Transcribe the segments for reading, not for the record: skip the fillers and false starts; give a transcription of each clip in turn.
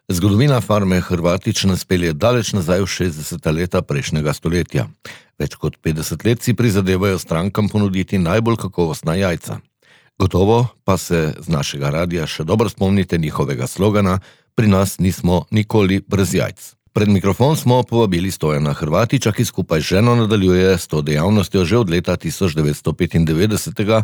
Zgodovina farme Hrvatič nas pelje daleč nazaj v 60. leta prejšnjega stoletja. Več kot 50 let si prizadevajo strankam ponuditi najbolj kakovostna jajca. Gotovo pa se z našega radia še dobro spomnite njihovega slogana: pri nas nismo nikoli brez jajc. Pred mikrofon smo povabili Stojana Hrvatiča, ki skupaj z ženo nadaljuje s to dejavnostjo že od leta 1995.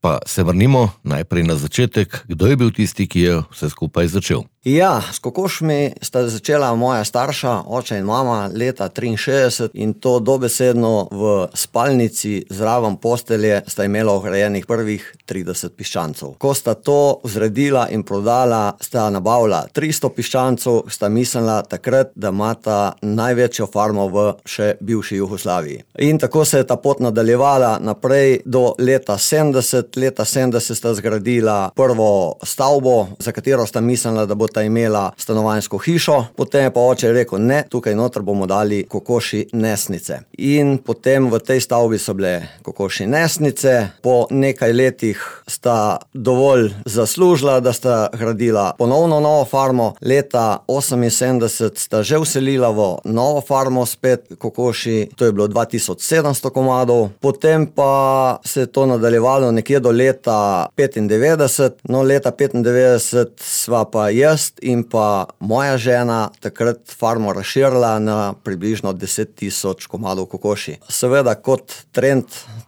Pa se vrnimo najprej na začetek. Kdo je bil tisti, ki je vse skupaj začel? Ja, s kokošmi sta začela moja starša, oče in mama, leta 63 in to dobesedno v spalnici zraven postelje sta imela ograjenih prvih 30 piščancov. Ko sta to zredila in prodala, sta nabavila 300 piščancov, sta mislila takrat, da imata največjo farmo v še bivši Jugoslaviji. In tako se je ta pot nadaljevala naprej do leta 70. Leta 70 sta zgradila prvo stavbo, za katero sta mislila, da bo imela stanovanjsko hišo, potem je pa oče rekel: ne, tukaj noter bomo dali kokoši nesnice. In potem v tej stavbi so bile kokoši nesnice. Po nekaj letih sta dovolj zaslužila, da sta gradila ponovno novo farmo. Leta 78 sta že vselila v novo farmo spet kokoši, to je bilo 2700 komadov. Potem pa se je to nadaljevalo nekje do leta 95. No, leta 95 sva pa jaz in pa moja žena takrat farmo razširila na približno 10.000 komadov kokoši. Seveda, kot trend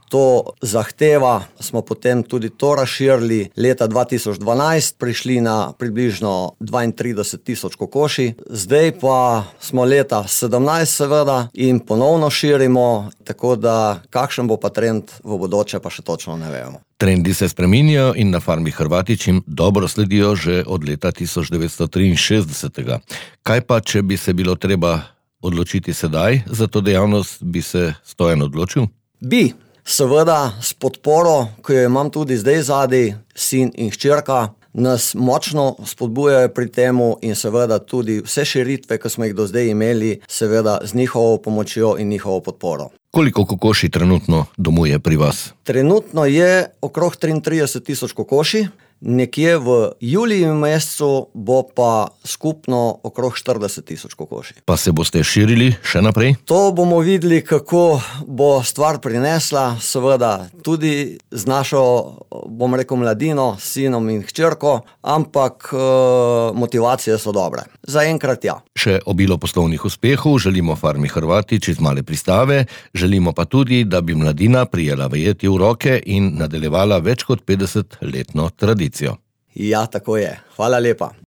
to zahteva, smo potem tudi to razširili. Leta 2012 prišli na približno 32.000 kokoši. Zdaj pa smo leta 17 seveda in ponovno širimo, tako da kakšen bo pa trend v bodoče, pa še točno ne vemo. Trendi se spreminjajo in na farmi Hrvatič jim dobro sledijo že od leta 1963. Kaj pa, če bi se bilo treba odločiti sedaj za to dejavnost, bi se Stojan odločil? Bi. Seveda s podporo, ki jo imam tudi zdaj zadaj, sin in hčerka, nas močno spodbujajo pri temu in seveda tudi vse širitve, ki smo jih do zdaj imeli, seveda z njihovo pomočjo in njihovo podporo. Koliko kokoši trenutno domuje pri vas? Trenutno je okrog 33.000 kokoši. Nekje v juliju mesecu bo pa skupno okrog 40.000 kokoši. Pa se boste širili še naprej? To bomo videli, kako bo stvar prinesla, seveda tudi z našo, bom rekel, mladino, sinom in hčerko, ampak motivacije so dobre. Zaenkrat ja. Še obilo poslovnih uspehov želimo farmi Hrvatič iz Male Pristave, želimo pa tudi, da bi mladina prijela vajeti v roke in nadaljevala več kot 50-letno tradicijo. Ja, tako je. Hvala lepa.